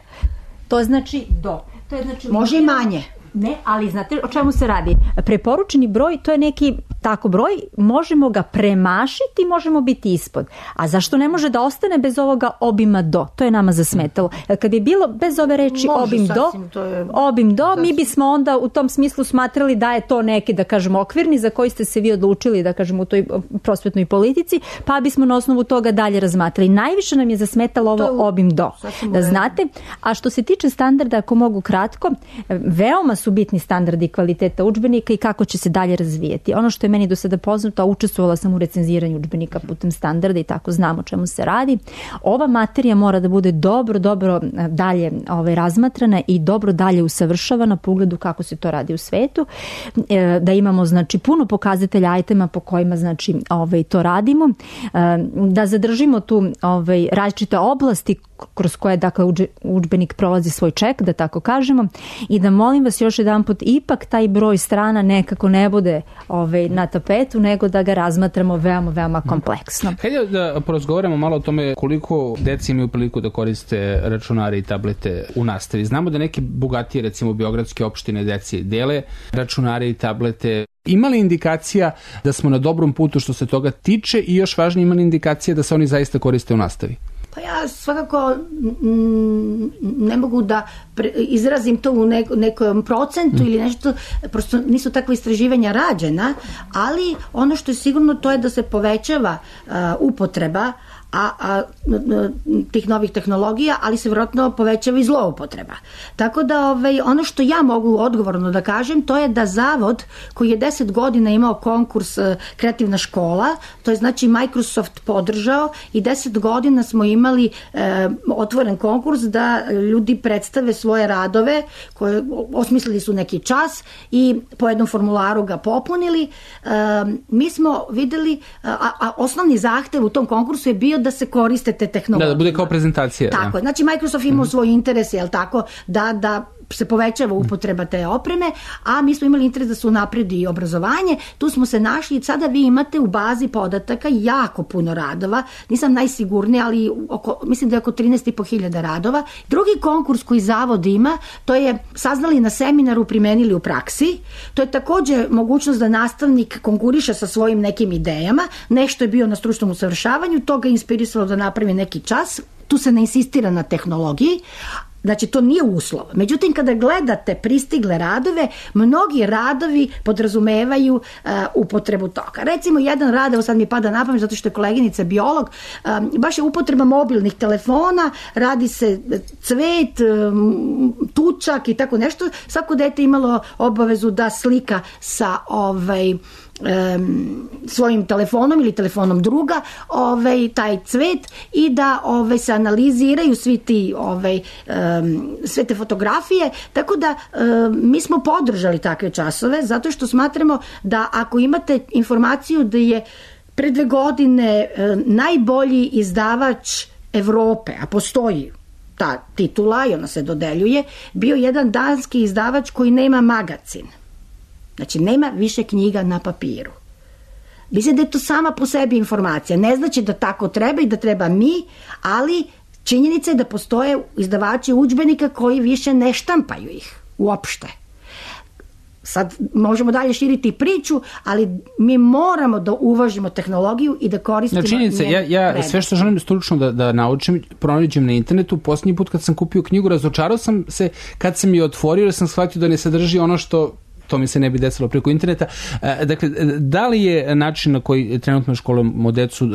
To znači do. To je znači može i manje. Ne, ali znate o čemu se radi? Preporučeni broj, to je neki tako broj, možemo ga premašiti, možemo biti ispod. A zašto ne može da ostane bez ovoga obima do? To je nama zasmetalo. Kad bi bilo bez ove reči obim do, mi bismo onda u tom smislu smatrali da je to neki, da kažemo, okvirni za koji ste se vi odlučili, da kažemo, u toj prosvetnoj politici, pa bismo na osnovu toga dalje razmatrali. Najviše nam je zasmetalo ovo obim do. Da znate, a što se tiče standarda, ako mogu kratko, veoma su bitni standardi kvaliteta udžbenika i kako će se dalje razvijeti. Ono što je meni do sada poznato, a učestvovala sam u recenziranju udžbenika putem standarda i tako znam o čemu se radi. Ova materija mora da bude dobro dalje razmatrana i dobro dalje usavršavana po ugledu kako se to radi u svetu. Da imamo znači puno pokazatelja itema po kojima znači to radimo. Da zadržimo tu različite oblasti kroz koje dakle udžbenik prolazi svoj ček, da tako kažemo, i da molim vas još jedanput ipak taj broj strana nekako ne bude na tapetu, nego da ga razmatramo veoma kompleksno. Hajde da porazgovaramo malo o tome koliko deci imaju priliku da koriste računare i tablete u nastavi. Znamo da neke bogatije, recimo beogradske opštine, deci dele računare i tablete. Ima li indikacija da smo na dobrom putu što se toga tiče i još važnije, ima li indikacija da se oni zaista koriste u nastavi? Pa ja svakako ne mogu da izrazim to u nekom procentu ili nešto, prosto nisu takva istraživanja rađena, ali ono što je sigurno to je da se povećava upotreba tih novih tehnologija, ali se vjerojatno povećava i zloupotreba. Tako da ono što ja mogu odgovorno da kažem, to je da zavod koji je 10 godina imao konkurs Kreativna škola, to je znači Microsoft podržao i 10 godina smo imali otvoren konkurs da ljudi predstave svoje radove, koje osmislili su neki čas i po jednom formularu ga popunili. Mi smo videli, a osnovni zahtev u tom konkursu je bio da se koriste te tehnologije. Da bude kao prezentacija. Tako, znači Microsoft imao svoj interes, jel tako, da se povećava upotreba te opreme, a mi smo imali interes da se unapredi obrazovanje. Tu smo se našli i sada vi imate u bazi podataka jako puno radova. Nisam najsigurnija, ali mislim da je oko 13.500 radova. Drugi konkurs koji zavod ima, to je saznali na seminaru, primenili u praksi. To je također mogućnost da nastavnik konkuriše sa svojim nekim idejama. Nešto je bio na stručnom usavršavanju, to ga inspirisalo da napravi neki čas. Tu se ne insistira na tehnologiji. Znači, to nije uslov. Međutim, kada gledate pristigle radove, mnogi radovi podrazumevaju upotrebu toga. Recimo, jedan rad, evo sad mi pada na pamet, zato što je koleginica biolog, baš je upotreba mobilnih telefona, radi se cvet, tučak i tako nešto. Svako dete imalo obavezu da slika sa svojim telefonom ili telefonom druga taj cvet i da se analiziraju svi ti sve te fotografije, tako da mi smo podržali takve časove zato što smatramo da ako imate informaciju da je pre 2 godine najbolji izdavač Evrope, a postoji ta titula i ona se dodeljuje, bio jedan danski izdavač koji nema magacin. Znači, nema više knjiga na papiru. Mislim da je to sama po sebi informacija. Ne znači da tako treba i da treba mi, ali činjenica je da postoje izdavači udžbenika koji više ne štampaju ih uopšte. Sad možemo dalje širiti priču, ali mi moramo da uvažimo tehnologiju i da koristimo činjenica, ja sve što želim stručno da naučim, pronađem na internetu. Posljednji put kad sam kupio knjigu, razočarao sam se kad sam je otvorio, jer sam shvatio da ne sadrži ono što to mi se ne bi desilo preko interneta. Dakle, da li je način na koji trenutno školujemo decu,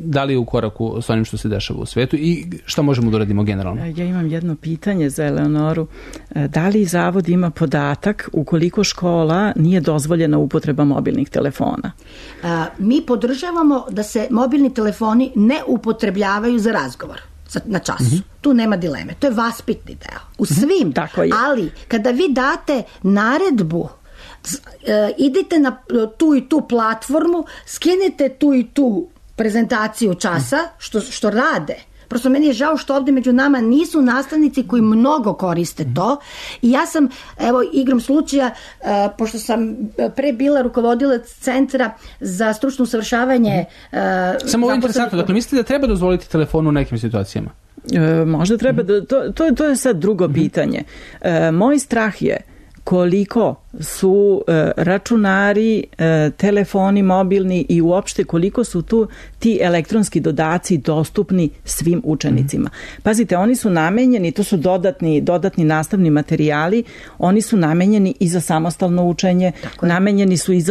da li je u koraku s onim što se dešava u svetu i šta možemo da uradimo generalno? Ja imam jedno pitanje za Eleonoru. Da li Zavod ima podatak ukoliko škola nije dozvoljena upotreba mobilnih telefona? Mi podržavamo da se mobilni telefoni ne upotrebljavaju za razgovor na času. Tu nema dileme. To je vaspitni deo. U svim. Ali kada vi date naredbu, idite na tu i tu platformu, skinete tu i tu prezentaciju časa, što rade. Prosto meni je žao što ovdje među nama nisu nastavnici koji mnogo koriste to i ja sam, evo, igrom slučaja, pošto sam pre bila rukovodilac Centra za stručno usavršavanje. Samo ovo je interesantno, dakle mislite da treba dozvoliti telefon u nekim situacijama? Možda treba, to je sad drugo pitanje. Moj strah je koliko su računari, telefoni mobilni i uopšte koliko su tu ti elektronski dodaci dostupni svim učenicima. Pazite, oni su namenjeni, to su dodatni nastavni materijali, oni su namenjeni i za samostalno učenje, namenjeni su i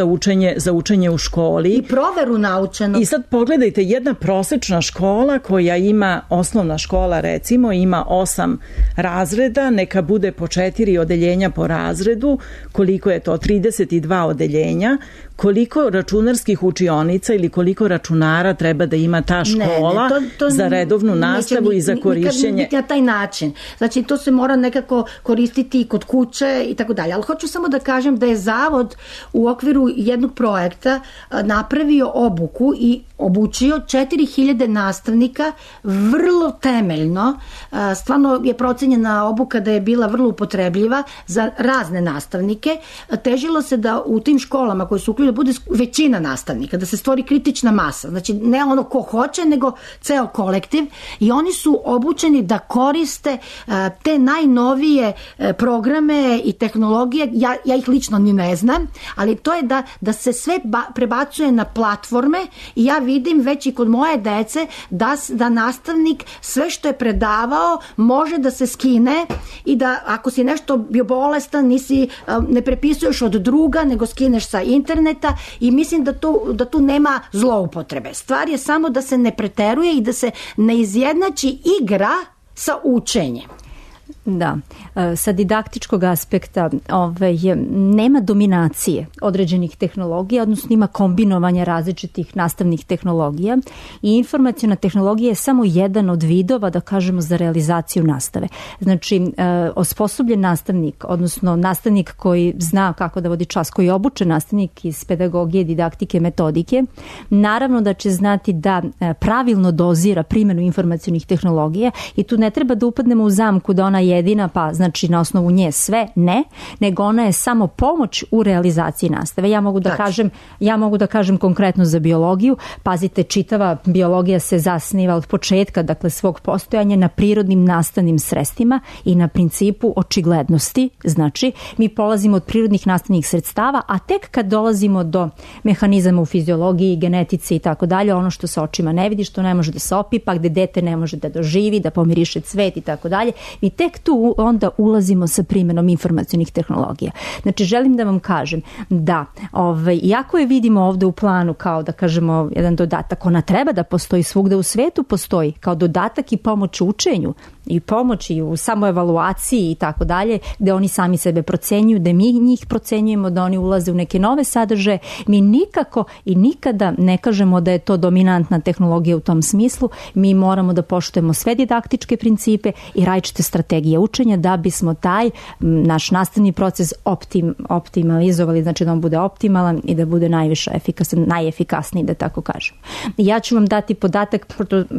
za učenje u školi. I proveru naučenog. I sad pogledajte, jedna prosečna škola koja ima, osnovna škola recimo, ima 8 razreda, neka bude po 4 odeljenja po razredu, koliko je to 32 odeljenja, koliko računarskih učionica ili koliko računara treba da ima ta škola za redovnu nastavu i za korišćenje. Nikad na taj način. Znači, to se mora nekako koristiti i kod kuće i tako dalje. Ali hoću samo da kažem da je Zavod u okviru jednog projekta napravio obuku i obučio 4000 nastavnika vrlo temeljno. Stvarno je procenjena obuka da je bila vrlo upotrebljiva za razne nastavnike. Težilo se da u tim školama koje su uključene bude većina nastavnika, da se stvori kritična masa. Znači, ne ono ko hoće, nego ceo kolektiv. I oni su obučeni da koriste te najnovije programe i tehnologije. Ja ih lično ni ne znam, ali to je da se sve prebacuje na platforme i ja vidim već i kod moje dece da nastavnik sve što je predavao može da se skine i da ako si nešto bio bolestan, ne prepisuješ od druga, nego skineš sa interneta i mislim da tu nema zloupotrebe. Stvar je samo da se ne preteruje i da se ne izjednači igra sa učenjem. Da, sa didaktičkog aspekta nema dominacije određenih tehnologija, odnosno ima kombinovanja različitih nastavnih tehnologija i informaciona tehnologija je samo jedan od vidova, da kažemo, za realizaciju nastave. Znači, osposobljen nastavnik, odnosno nastavnik koji zna kako da vodi čas, koji je obučen nastavnik iz pedagogije, didaktike, metodike, naravno da će znati da pravilno dozira primjenu informacionih tehnologija i tu ne treba da upadnemo u zamku da ona jedina, pa znači na osnovu nje sve, ne, nego ona je samo pomoć u realizaciji nastave. Ja mogu da kažem konkretno za biologiju. Pazite, čitava biologija se zasniva od početka, dakle svog postojanja, na prirodnim nastavnim sredstvima i na principu očiglednosti. Znači, mi polazimo od prirodnih nastavnih sredstava, a tek kad dolazimo do mehanizama u fiziologiji, genetici i tako dalje, ono što se očima ne vidi, što ne može da se opipa, gde dete ne može da doživi, da pomiriše cvet i tako dalje. I tek tu onda ulazimo sa primjenom informacionih tehnologija. Znači, želim da vam kažem da, iako je vidimo ovdje u planu kao, da kažemo, jedan dodatak, ona treba da postoji svugde u svetu, postoji kao dodatak i pomoć u učenju i pomoć i u samoevaluaciji i tako dalje, gde oni sami sebe procenjuju, da mi njih procenjujemo, da oni ulaze u neke nove sadržaje. Mi nikako i nikada ne kažemo da je to dominantna tehnologija u tom smislu. Mi moramo da poštujemo sve didaktičke principe i različite strategije učenja da bismo taj naš nastavni proces optimalizovali, znači da on bude optimalan i da bude najviše efikasan, najefikasniji, da tako kažem. Ja ću vam dati podatak,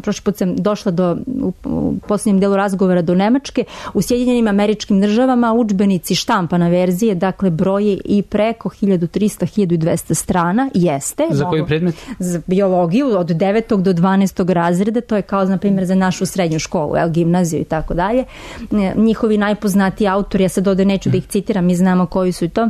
prošli put sam došla u posljednjem delu razgovora do Nemačke. U Sjedinjenim Američkim Državama udžbenici štampana verzije, dakle broje i preko 1300-1200 strana, jeste. Za koji predmet? Za biologiju od 9. do 12. razreda, to je kao, na primjer, za našu srednju školu, gimnaziju i tako dalje. Njihovi najpoznatiji autori, ja sad ovdje neću da ih citiram, mi znamo koji su to.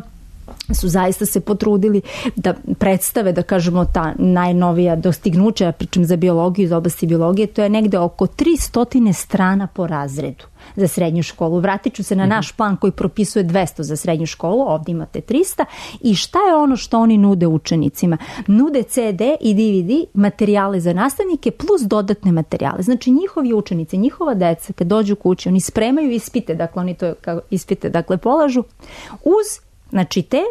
su zaista se potrudili da predstave, da kažemo, ta najnovija dostignuća, pričam za biologiju, iz oblasti biologije, to je negde oko 300 strana po razredu za srednju školu. Vratit ću se na naš plan koji propisuje 200 za srednju školu, ovdje imate 300. I šta je ono što oni nude učenicima? Nude CD i DVD materijale za nastavnike plus dodatne materijale. Znači njihovi učenici, njihova deca kad dođu kući, oni spremaju ispite, dakle oni to ispite polažu uz, znači, te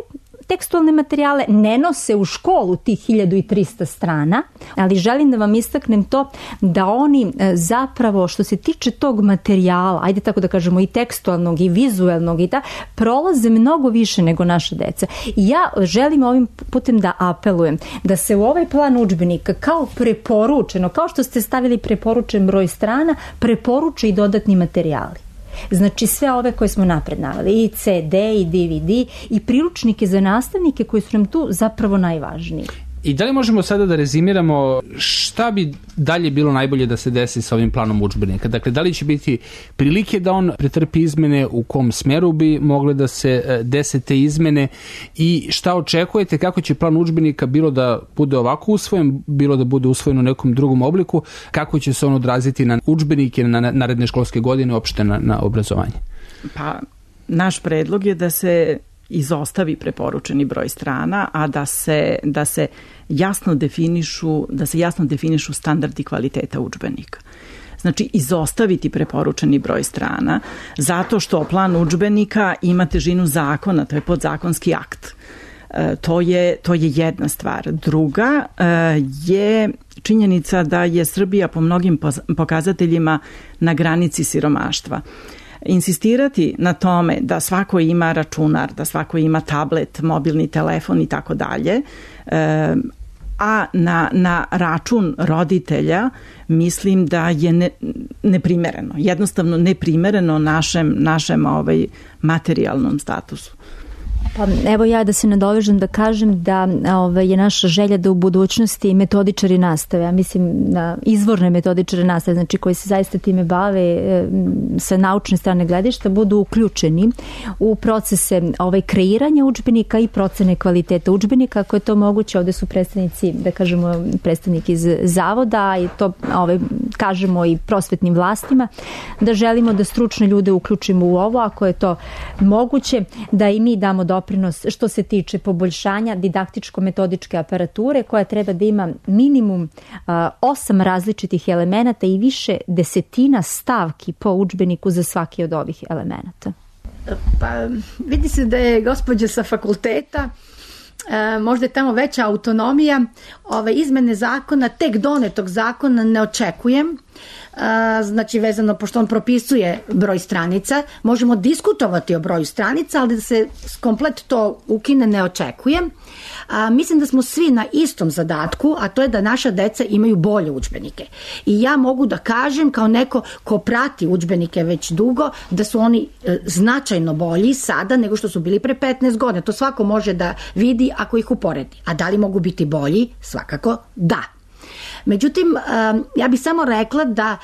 tekstualne materijale, ne nose u školu tih 1300 strana, ali želim da vam istaknem to da oni zapravo, što se tiče tog materijala, ajde tako da kažemo, i tekstualnog i vizuelnog, i prolaze mnogo više nego naša deca. I ja želim ovim putem da apelujem da se u ovaj plan udžbenika kao preporučeno, kao što ste stavili preporučen broj strana, preporuče i dodatni materijali. Znači sve ove koje smo napred naveli, i CD i DVD i priručnike za nastavnike koji su nam tu zapravo najvažniji. I da li možemo sada da rezimiramo šta bi dalje bilo najbolje da se desi sa ovim planom udžbenika? Dakle, da li će biti prilike da on pretrpi izmene, u kom smeru bi mogle da se dese te izmene i šta očekujete, kako će plan udžbenika, bilo da bude ovako usvojen, bilo da bude usvojen u nekom drugom obliku, kako će se on odraziti na udžbenike, na naredne školske godine, uopšte na obrazovanje? Pa, naš predlog je da se izostavi preporučeni broj strana, a da se jasno definišu standardi kvaliteta udžbenika. Znači, izostaviti preporučeni broj strana, zato što plan udžbenika ima težinu zakona, to je podzakonski akt. To je jedna stvar. Druga je činjenica da je Srbija po mnogim pokazateljima na granici siromaštva. Insistirati na tome da svako ima računar, da svako ima tablet, mobilni telefon i tako dalje, a na račun roditelja mislim da je neprimereno, jednostavno neprimereno našem materijalnom statusu. Pa evo ja da se nadovežem da kažem da je naša želja da u budućnosti metodičari nastave, ja mislim na izvorne metodičare nastave, znači koji se zaista time bave sa naučne strane gledišta, budu uključeni u procese kreiranja udžbenika i procene kvaliteta udžbenika, ako je to moguće. Ovde su predstavnici, da kažemo, predstavnik iz zavoda i to kažemo i prosvetnim vlastima, da želimo da stručne ljude uključimo u ovo, ako je to moguće, da i mi damo doprinos što se tiče poboljšanja didaktičko-metodičke aparature koja treba da ima minimum 8 različitih elemenata i više desetina stavki po udžbeniku za svaki od ovih elemenata. Pa vidi se da je gospođa sa fakulteta, možda je tamo veća autonomija, ove izmene zakona, tek donetog zakona ne očekujem, znači vezano, pošto on propisuje broj stranica, možemo diskutovati o broju stranica, ali da se komplet to ukine ne očekujem. Mislim da smo svi na istom zadatku, a to je da naša deca imaju bolje udžbenike. I ja mogu da kažem, kao neko ko prati udžbenike već dugo, da su oni značajno bolji sada nego što su bili pre 15 godina. To svako može da vidi ako ih uporedi. A da li mogu biti bolji? Svakako da. Međutim, ja bih samo rekla da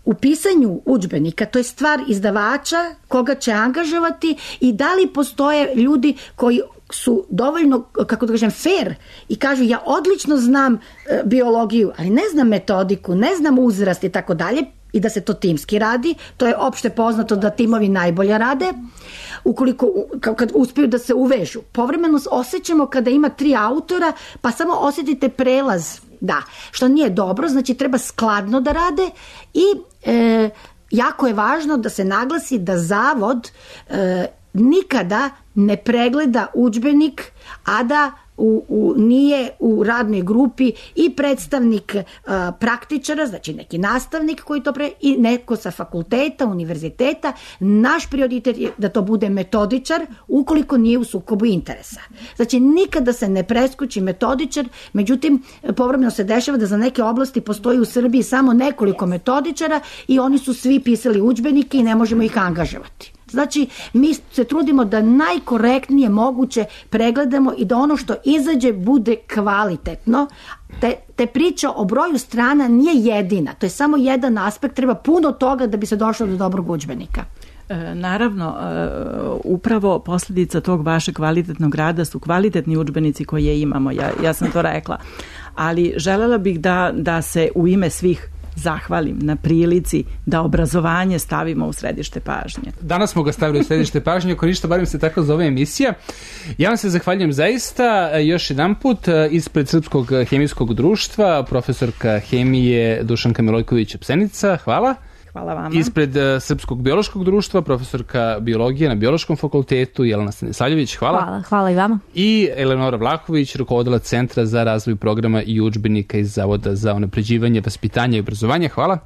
u pisanju udžbenika, to je stvar izdavača koga će angažovati i da li postoje ljudi koji su dovoljno, kako da kažem, fair i kažu ja odlično znam biologiju, ali ne znam metodiku, ne znam uzrast i tako dalje, i da se to timski radi. To je opšte poznato da timovi najbolje rade. Ukoliko kad uspeju da se uvežu. Povremeno osjećamo kada ima 3 autora, pa samo osjetite prelaz. Da, što nije dobro, znači treba skladno da rade i jako je važno da se naglasi da zavod nikada ne pregleda udžbenik, a da nije u radnoj grupi i predstavnik praktičara, znači neki nastavnik koji to i neko sa fakulteta, univerziteta. Naš prioritet je da to bude metodičar ukoliko nije u sukobu interesa. Znači nikada se ne preskoči metodičar, međutim povremeno se dešava da za neke oblasti postoji u Srbiji samo nekoliko metodičara i oni su svi pisali udžbenike i ne možemo ih angažovati. Znači, mi se trudimo da najkorektnije moguće pregledamo i da ono što izađe bude kvalitetno. Te priča o broju strana nije jedina, to je samo jedan aspekt, treba puno toga da bi se došlo do dobrog udžbenika. Naravno, upravo posljedica tog vašeg kvalitetnog rada su kvalitetni udžbenici koje imamo, ja sam to rekla, ali želela bih da se u ime svih zahvalim na prilici da obrazovanje stavimo u središte pažnje. Danas smo ga stavili u središte pažnje, ako ništa, barem se tako zove emisija. Ja vam se zahvaljujem zaista još jedan put ispred Srpskog hemijskog društva, profesorka hemije Dušanka Milojković-Psenica. Hvala. Hvala vama. Ispred Srpskog biološkog društva, profesorka biologije na Biološkom fakultetu, Jelena Stanisavljević, hvala. Hvala i vama. I Eleonora Vlahović, rukovodilac Centra za razvoj programa i udžbenika iz Zavoda za unapređivanje vaspitanja i obrazovanja, hvala.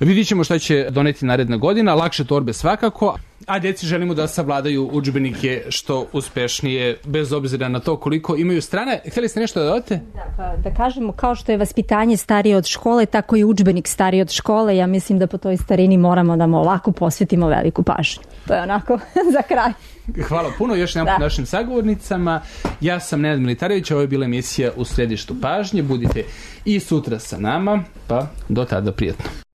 Vidit ćemo šta će doneti naredna godina, lakše torbe svakako, a djeci želimo da savladaju udžbenike što uspešnije, bez obzira na to koliko imaju strane. Htjeli ste nešto da dodate? Da kažemo, kao što je vaspitanje starije od škole, tako i udžbenik stariji od škole. Ja mislim da po toj starini moramo da mu ovako posvetimo veliku pažnju. To je onako za kraj. Hvala puno još jedan put našim sagovornicama. Ja sam Nenad Militarević, ovo je bila emisija U središtu pažnje. Budite i sutra sa nama, pa do tada prijatno.